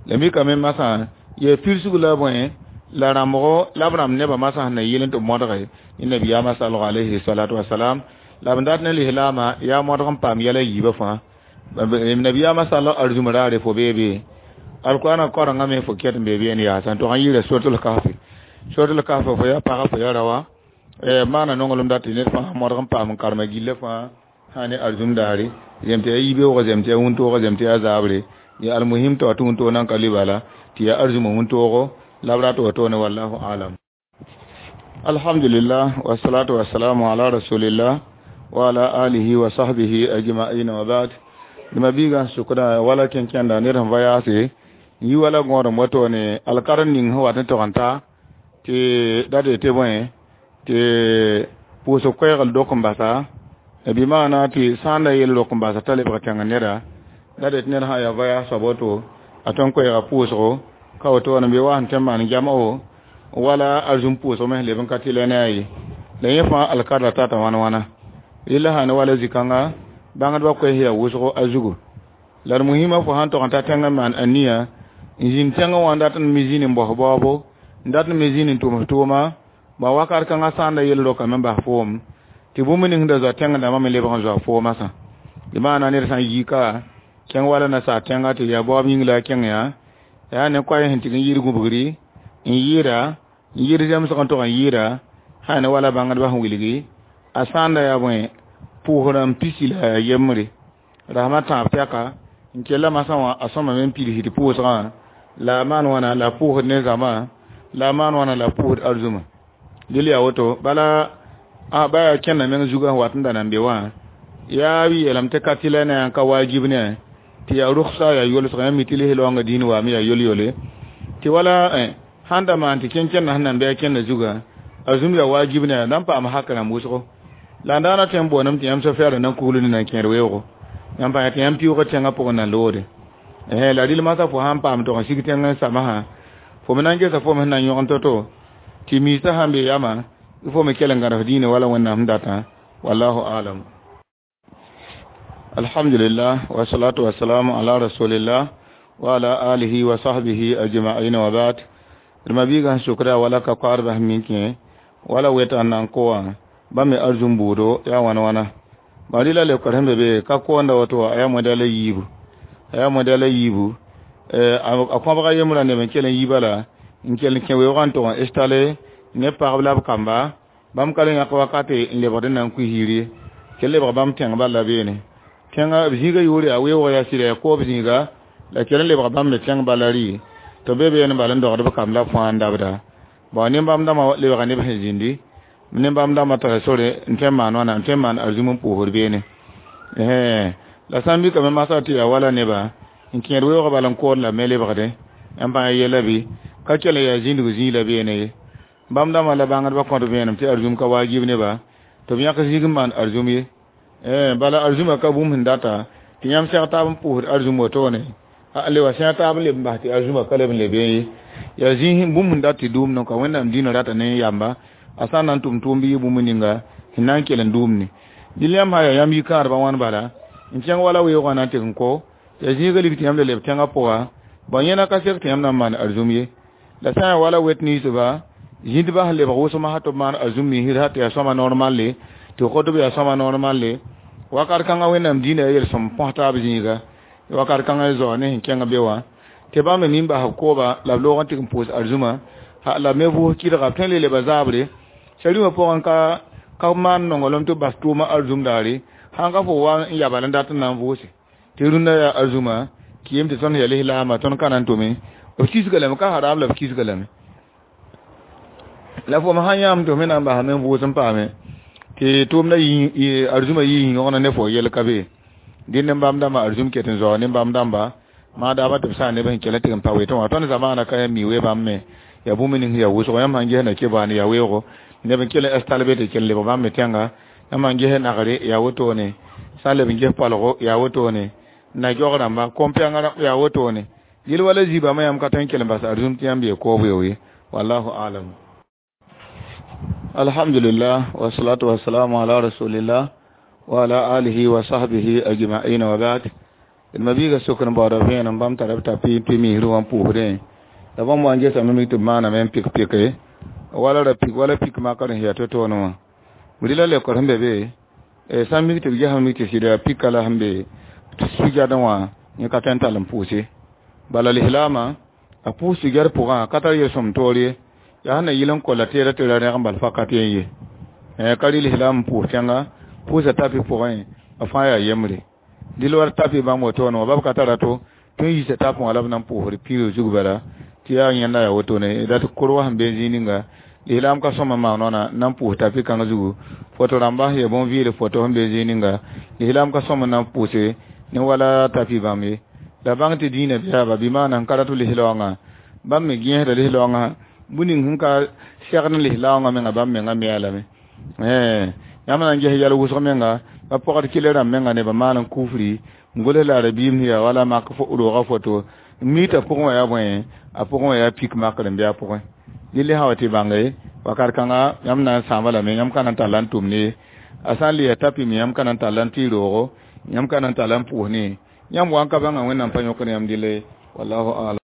la mikame masã yaa pirsg la bõe la rãmbgo la b rãmb nebã masã sẽn na yɩl n tɩ modge ne nabiyaamã salgo alayhi salatu wasalam la b dat ne lislaamã yaa modg n paam yɛla yiibã fãa nabiyaamã salg arzũm raare fo beebe alqur'ana karengã me fo ket n be beene yaasã tɩ sãn yɩɩra suratul kahfi suratul kahfi fo yaa pagã fo yaa raoã maana nonglem dat tɩ ned fãa modg n paam n karema gillã fãa sã ne arzũm daare zem tɩ yaa yibeoogã zem tɩ yaa wũntooga zem tɩ yaa zaabre ya almuhim tɩ wa tɩ wũntoog nan ka lʋɩ bala tɩ yaa arzũmã wũntoogo la b rat wotone wallahu alam alhamdulillah wassalatu wassalamu ala rasulillah wa ala alihi wa sahbihi ajma'in wa ba'd dama biiga sʋkda wala kẽn-kẽnda ned sẽn va yaase n yi wala gõodem wotone alkarn ning sẽn wat n tog n ta tɩ da de tɩ bõe tɩ pʋʋsg koɛɛgl dok n basa bɩ maana tɩ sã n da yel rok n basa t'a lebg tẽng neda da de tɩ ned sã yaa va yaas soab woto a tõn koɛɛga pʋʋsgo ka woto n be wa sẽn tõe n maan jam'o wala arzũm pʋʋsg me sẽn leb n ka tɩ la ne a ye la yẽ fãa alkarda tata wãn wãna rɩla sã ne wala zĩ-kãnga bãngdbã koɛɛs yaa wʋsgo a zugu la d muhimã fo sãn tog n ta tẽng n maan aniya n zĩnd tẽngã wã n dat n mi zĩnd n baos baoobo n dat n me zĩnd n tʋms tʋʋma ba wakat kãngã sã n da yel rokame n bas foom tɩ bũmb ning da zoa tẽng dãmbã me lebg n zoa foomã sã tɩ maana ned sã n yi ka kẽng wala nasaar tẽnga tɩ yaa baoob yĩng la a kẽng yaa yaa ne koɛɛ sẽn tɩg n yɩɩd gũbgri n yɩɩda n yɩɩd zemsg n tog n yɩɩda sã ne wala bãngdbã sẽn wilgi a sã n da yaa bõe pʋʋsrã n pisi la yembre rasmã tãab tɛka n kella masã wã a sõmame n pids tɩ pʋʋsgã la a maan wãna la a pʋʋsd ne zãma la a maan wãna la a pʋʋsd arzũma dɩl yaa woto bala a ba yaa kẽnda meng zugã wat n da nan be wã yaa b yeelame tɩ ka tɩ la ne n ka waajib ne tɩ yaa rʋgsa yaa yolsg yã mi tɩ lis-laoongã dĩin waame yaa yol-yole tɩ wala sãn da maan tɩ kẽn-kẽndã sẽn nan bɩ a kẽnda zugã a zũm yaa waajib ne na n paam hak rãmb wʋsgo la n daana tõe n booname tɩ yãmb sofɛɛrã na n kugl ne na n kẽed weoogo yãmb pa tɩ yãmb pɩʋʋga tẽngã pʋgẽ na loode la rɩl masã fo sãn paam tog n sig tẽng n samsã fo me na n gesa fo me sẽn na n yõgen to-to tɩ miisã sãn be yamã fo me kell n gãdes dĩinã wala wẽnnaam sẽn datã wallahu alam alhamdulillah wassalatu wassalamu ala rasulillah wa ala alihi wa sahbihi ajma'in wa ba'd d mabiiga sẽn sʋkda wala ka koaadbã sẽn mik yẽ wala weta n na n ko wã bãmb me arzũm buudo yaa wãn wãna ba rɩla lebkr sẽn be be ka koonda woto a yaa moda la yiibu yaa modɛl a yiibu a kõbga yembrã neb n kell n yiiba la n kell n kẽ weoogã n tog n installe ne pagb la b kamba bãmb ka le yãk wakate n lebgd n na n kʋ hiir ye kell lebg bãmb tẽng bal la beene tẽngã b zĩigã yʋʋr yaa weoog yaa sɩda yaa koob zĩiga la kell n lebg bãmb me tẽng bala rɩ tɩ be beene bal n dogd b kamb la fãa n dabda bon nin-bãmb dãmbã lebga neb sẽn zĩndi nin-bãmb dãmbã tara sore n tõe n maan wãna n tõe n maan arzũm n pʋʋsd beene la sã n mikame masã tɩ yaa wala neba n kẽed weoogã bal n kood la me lebgdẽ n bãng yɛla bɩ ka kell n yaa zĩndg zĩig la beene ye bãmb dãmbã la bãngdbã kõt vẽenem tɩ arzũm ka waajib neba tɩ b yãk zĩig n maan arzũm ye bala arzũmã ka bũmb sẽn data tɩ yãmb sɛg taab n pʋʋsd arzũm wotone a le wa sẽag taab n leb n bas tɩ arzũmã ka leb n le bee ye yaa zĩig bũmb sẽn dat tɩ dʋʋmd n ka wẽnnaam dĩinã rata ne yamba a sã n na n tʋm tʋʋm bɩ yɩ bũmb ninga sẽn na n kell n dʋʋmne dɩl yãmb sã yaa yãmb yikãadbã wãn bala n kẽng wala weoogã na n tɩg n ko yaa zĩigã lig tɩ yãmb le leb tẽngã pʋga bõe yẽna ka sek tɩ yãmb na n maan arzũm ye la sã n yaa wala wet ninsba zĩndbã sẽn lebg wʋsg masã tɩ b maan arzũm miisd tɩ yaa sõma normalle tɩ kotb yaa sõma normalle wakat kãngã wẽnnaam dĩinã yaa yel-sõm põs taab zĩiga wakat kãngã zao ne sẽn kẽng be wã tɩ bãmb me min bas b kooba la b loog n tɩg n pʋʋs arzũmã la b me vʋʋs kɩdga b tõe n le leba zaabre sariwã pʋgẽ ka ka maan nonglem tɩ b bas tʋʋmã arzũm daare sãn ka fo wa n yabal n dat n na n vʋʋse tɩ rũndã yaa arzũmã kɩɩm tɩ tõnd yaa lislaamã tõnd ka na n tʋme b kisga lame ka haram la b kisga lame la fo sã yãam tɩ f me na n basame n vʋʋs n paame tɩ tʋʋmdã arzũmã yɩ yõgna ne fo yɛl ka be dẽnd nin-bãmb dãmbã arzũm ket n zaoog nin-bãmb dãmba maadaamã tɩ b sã neb sẽn kell n tɩg n pa wetẽ wã tõnd zamaana ka mi we bãmb me yaa bũmb ning yaa wʋsgo yãmb sãn ges na kebaan yaa weoogo neb n kell n installe be tɩ kell lebg bãmb me tẽnga yãmb sãn ges nagre yaa wotone sã n leb n ges palgo yaa wotone na giog rãmba kom-pɛngã yaa wotone yel wala zibame yãmb ka tõe n kell n bas arzũm tɩ yãmb yee koob weo ye wallahu alam alhamdulillah wasalatu wasalamu ala rasulillah wa ala alihi wa sahbihi ajma'in wa ba'd d mabiiga sokr n baooda vẽenem bãmb tara b tapi tɩ misr wã n pʋʋsdẽ la bãmb wa n gesame mi tɩ b maaname n pik pike wala ra pik wala pik makr sẽn yaa to-toone wã rɩla lekor sẽn be be sã n mik tɩ b gesame mi tɩ sɩda pika la sẽn be sugɛdẽ wã yẽ ka tõe n tall n pʋʋse bala lislaamã a pʋʋs sugɛr pʋgã ka tar yel-sõm toor ye yaa sẽn na yɩl n kolla teera tɩ ra rẽg n bal fakat yen ye ka rɩ lislaam n pʋʋs tẽnga pʋʋsa tapi pʋgẽ a fãa yaa yembre dɩl wa tapi bãmb wotone wã bab ka tara to tõe n yiisa tapẽ wã la b na n pʋʋsd piirg zug bala tɩ yaa yẽnda yaa wotone dat kor wa sẽn be zĩig ninga lislaam ka sõma maan wãna na n pʋʋs tapi kãng zugu foto rãmba sẽn yaa bõn-vɩɩl foto sẽn be zĩig ninga lislaam ka sõma na n pʋʋse ne wala tapi bãmb ye la bãng tɩ dĩinã biaaba bɩ maana n ka rat lislaoongã bãmb me gẽesda lislaoongã bũ ning sẽn ka segd n lislaoongã menga bãmb menga mea lame yãmb na n ges yɛl wʋsg menga ba pɔgd kɩl rãmb menga nebã maan n kufri n gols la rabiim yaa wala mak roogã foto n mi t'a pʋgẽ wã yaa bõe a pʋgẽ wã yaa pik makr n bɩ a pʋgẽ dɩl sã wa tɩ bãnge wakat kãnga yãmb na n sãamba lame yãmb ka na n tall n tʋm ne a sã n le yaa tapi me yãmb ka na n tall n tɩ roogo yãmb ka na n tall n pʋʋs ne yãmb wa n ka bãnga wẽnnaam pa yõkd yãmb dɩle wallahu alam.